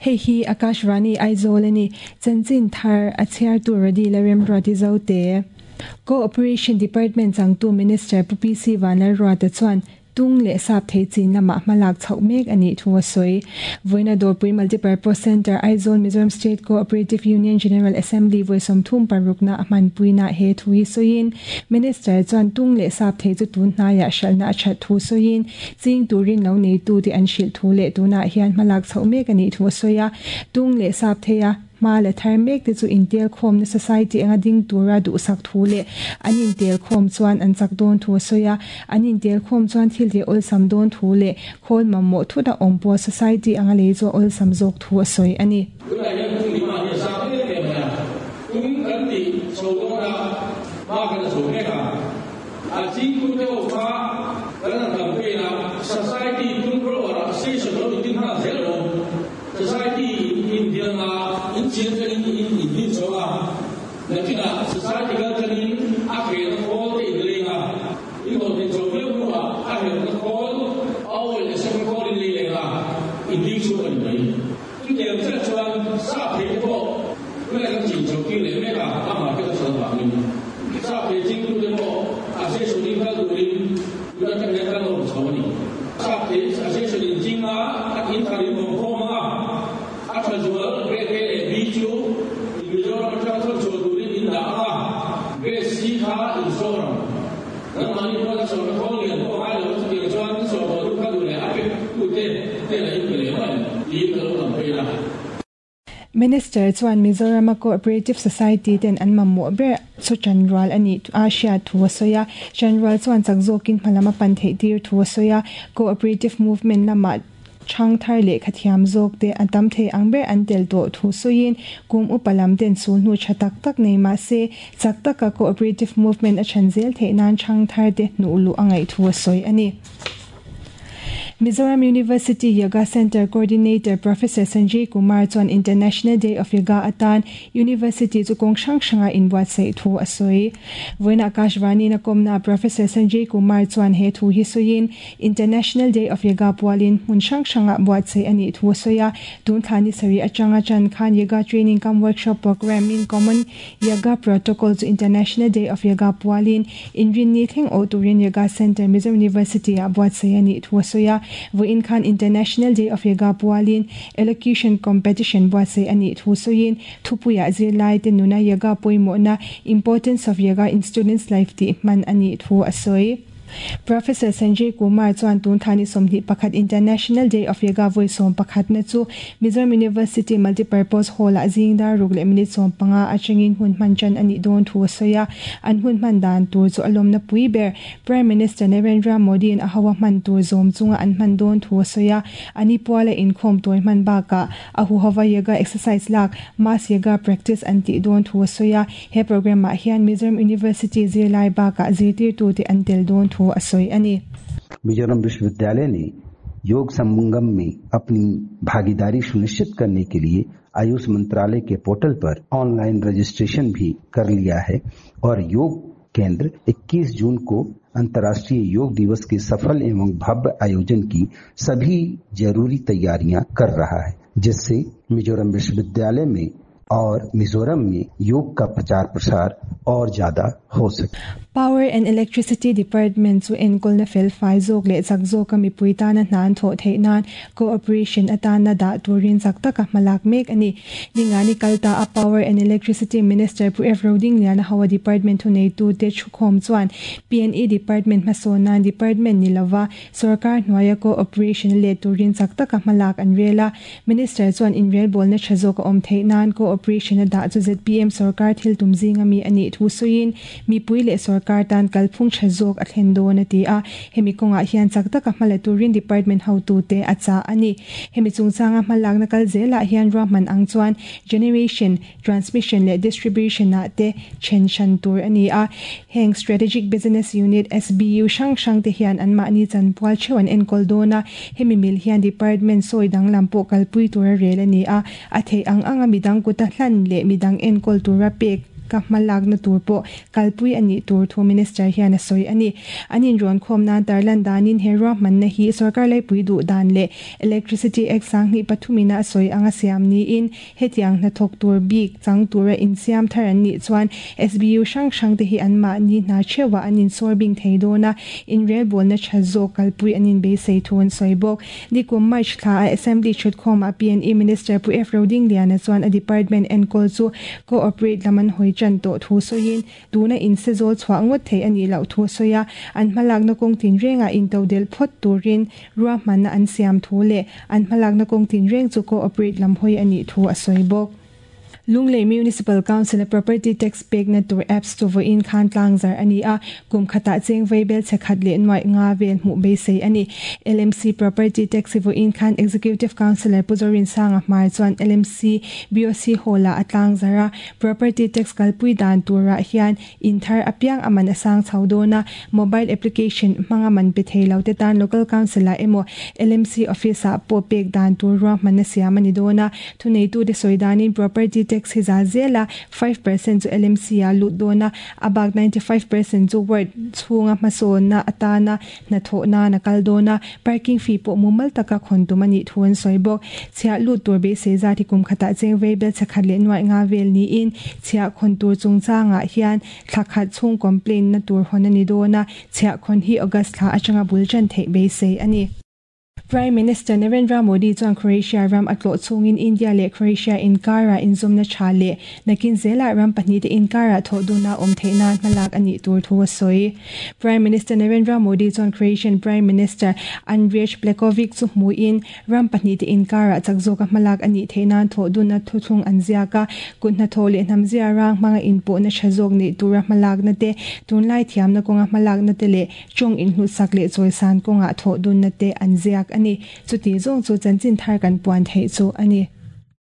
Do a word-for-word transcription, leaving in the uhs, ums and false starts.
Hei hi Akashvani Aizawl a ni. Chanchin thar a chhiartu Radila Remruati Zote. Cooperation Department changtu Minister Pu P C Vanlalruata chuan tung leh sap thei chin lamah hmalak chhoh mek a nih thu a sawi. Vawiina Dawrpui Multipurpose Centre, Aizawl Mizoram State Cooperative Union General Assembly vawi sawmthum parukna a hmanpuinaah he thu hi sawiin Minister chuan tung leh sap thei chu tun hnaiah hralhna a that thu sawiin ching turin lo neitu te an hrilh thu leh tunah hian hmalak chhoh mek a nih thu a sawi a. Tung leh sap thei a hma la thar mek te chu intel khawmna society anga ding tura duhsak thu leh an intel khawm chuan an chak dawn thu a sawi a. An intel khawm chuan thil te awlsam dawn thu leh khawl mamawh thut a awm pawh society anga lei chu a awlsam zawk thu a sawi a ni. Tunah hian tung demand hi a sang em em mai a, tung kan ti chho dawn a, hma kan la chho mek a. A chingtute ho kha kan han campaign a, society tung grower ah station lo intin nghal zel lo. Society in indial nga in chian tangin in indin chho a, nakinah society kal tangin a khelna khawl te in leng a, in hlawhtlin chho viau hnuah a helna khawl, a oil leh second khawl in lei leng a, in ding chhuak a ni mai. Chutiang chiah chuan sap thei te pawh tunah kan chin chho tir leh mek a, a market a that avangin sap thei chingtute pawh association in kal turin tuna tang hian kan awm chho a ni. Sap thei association in ching a, in thar in awm khawm anga, a tha zual grade A leh B chu Mizoram atanga thawk chhuah turin in dah anga, grade C kha in sawr ang. Nangmahni pawh a sawrna khawl lian pawh ngai lo, chutiang chuan in sawr tawh duh kha duh leh a pe tute hnenah in pe leh mai tiin ka lo campaign a. Minister chuan Mizoram Cooperative Society ten an mamawh ber chu chanrual a nih a hriat thu a sawi a. Chanrual chuan chak zawkin hmalam a pan theih tir thu a sawi a. Cooperative movement lamah thang thar leh khathiam zawk te a tam thei ang ber an tel tawh thu sawiin kum upa lam ten sulhnu tha tak tak nei mah se chak taka cooperative movement a than zel theih nan thang thar te hnuh luh a ngaih thu a sawi a ni. Mizoram University Yoga Center Coordinator Professor Sanjay Kumar chuan International Day of Yoga atan University chu kawng hrang hranga inbuatsaih thu a sawi. Vawiina Akashvani na kawmna Professor Sanjay Kumar chuan he thu hi sawiin International Day of Yoga pualin hmun hrang hranga buatsaih a nih thu a sawi a. Tun thla ni sarih atanga chan khan Yoga Training cum Workshop Program in Common Yoga Protocol chu International Day of Yoga pualin inrin ni thleng awh turin Yoga Center Mizoram University ah buatsaih a nih thu a sawi a. Vawiin khan International Day of Yoga pualin Elocution Competition buatsaih a nih thu sawiin thupuiah zirlai te nuna yoga pawimawhna, Importance of Yoga in Students Life tih hman a nih thu a sawi. Professor Sanjay Kumar chuan tun thla ni sawmhnih pakhat International Day of Yoga vawi sawm pakhatna chu Mizoram University Multipurpose Hall ah zing dar ruk leh minute sawm panga atangin hun hman chan a nih dawn thu a sawi a. An hun hman dan tur chu a lawmna pui ber Prime Minister Narendra Modi in a hawa hman tur zawm chunga an hman dawn thu a sawi a. Ani puala inkhawm tawi hman bakah a huhova yoga exercise lak, mass yoga practice an tih dawn thu a sawi a. He program ah hian Mizoram University zirlai bakah zirtirtu te an tel dawn thu a sawi a ni. Mizoram विश्वविद्यालय ने योग संगम में अपनी भागीदारी सुनिश्चित करने के लिए आयुष मंत्रालय के पोर्टल पर ऑनलाइन रजिस्ट्रेशन भी कर लिया है और योग केंद्र इक्कीस जून को अंतर्राष्ट्रीय योग दिवस के सफल एवं भव्य आयोजन की सभी जरूरी तैयारियां कर रहा है, जिससे मिजोरम विश्वविद्यालय में और मिजोरम में योग का प्रचार प्रसार और ज्यादा हो सके। Power and Electricity Department chu enkawlna fel fai zawk leh chak zawka mipui tana hna an thawh theih nan cooperation atana dah turin chak taka hmalak mek a ni. Ningani kalta a Power and Electricity Minister Pu F Rodingliana hawa department thu neitu te thukhawm chuan P and E Department hmasawn nan department ni lova sarkar hnuaia cooperation leh turin chak taka hmalak an rel a. Minister chuan inrel bawlna tha zawk a awm theih nan cooperation a dah chu Z P M sarkar thil tum zinga mi a nih thu sawiin mipui leh sarkar tan kalphung tha zawk a thlen dawn a ti a. Hemi kawngah hian chak taka hmala turin department hotu te a cha a ni. Hemi chungchanga hmalakna kal zelah hian ruahman ang chuan generation, transmission leh distribution ah te then hran tur a ni a. Heng Strategic Business Unit S B U hrang hrang te hian an mahni chanpual theuh an enkawl dawn a. Hemi mil hian department sawi danglam pawh kalpui tur a rel a ni a. A thei ang anga midang kuta hlan leh midang enkawl tura pek ka hmalak na tur pawh kalpui anih tur thu minister hian a sawi ani. Anin rawn khawm nan tarlan danin he ruahmanna hi sarkar laipui duh dan leh Electricity Act sanghnih pathumina a sawi anga siam niin hetiang hnathawk tur bik chang tura insiam thar an nih chuan S B U hrang hrang te hi an mahni hna theuhah an insawr bing thei dawn a, inrelbawlna tha zawk kalpui an inbeisei thu an sawi bawk. Nikum March thla a Assembly thutkhawmah P and E Minister Pu F Rodingliana chuan a department enkawl chu cooperate lam an hawi tan tawh thu sawiin tuna in se zawl chhuah ngawt thei anih loh thu sawi a, an hmalakna kawng tin rengah intodel phawt turin ruahmanna an siam thu leh an hmalakna kawng tin reng chu cooperate lam hawi anih thu a sawi bawk. Lunglei Municipal Council property tax pek na tur apps chu vawiin khan tlangzar ani a, kum khata cheng veibel chekhat leh nuai nga vel hmuh beisei ani. L M C property tax vawiin khan Executive Councillor Puzorin Sanga Hmar chuan L M C B O C Hall-a atlangzar a. Property tax kalpui dan tura hian in thar apiang aman asang chhodona, mobile application hmanga man pe theilo te tan local council a emo L M C office a po pek dan tur ruahmanna siam ani dona. Thunei tu te soidanin property tax hi za zela five percent chu L M C a lut dona, abak ninety-five percent chu ward chhunga hmasawn na atana hnathawh na na kal dona. Parking fee pawh mumal taka khawn tum ani thu an sawi bawk. Chhiah lut tur beisei zat hi kum khatah cheng veibel chakhat leh nuai nga vel niin chhiah khawn tur chungchangah hian thla khat chhung complaint na tur hawn ani dona. Chhiah khawn hi August thla atanga bul tan theih beisei ani. Prime Minister Narendra Modi chuan Croatia ram a tlawh chungin India leh Croatia inkara inzawmna tha leh nakin zela ram pahnih te inkara thawh duna awm theih nan hmalak anih tur thu a sawi. Prime Minister Narendra Modi chuan Croatian Prime Minister Andrej Plenkovic chu hmuin ram pahnih te inkara chak zawka hmalak anih theih nan thawh duna thuthlung an ziak a. Kut hnathawh leh hnam zia rang hmanga inpawh na tha zawk nei tura hmalak na te, tunlai thiamna kawnga hmalak na te leh tawng inhlut sak leh chawisan kawnga thawh dun na te an ziak ani. Chuti zawng chu chanchin thar kan puan theih chu ani.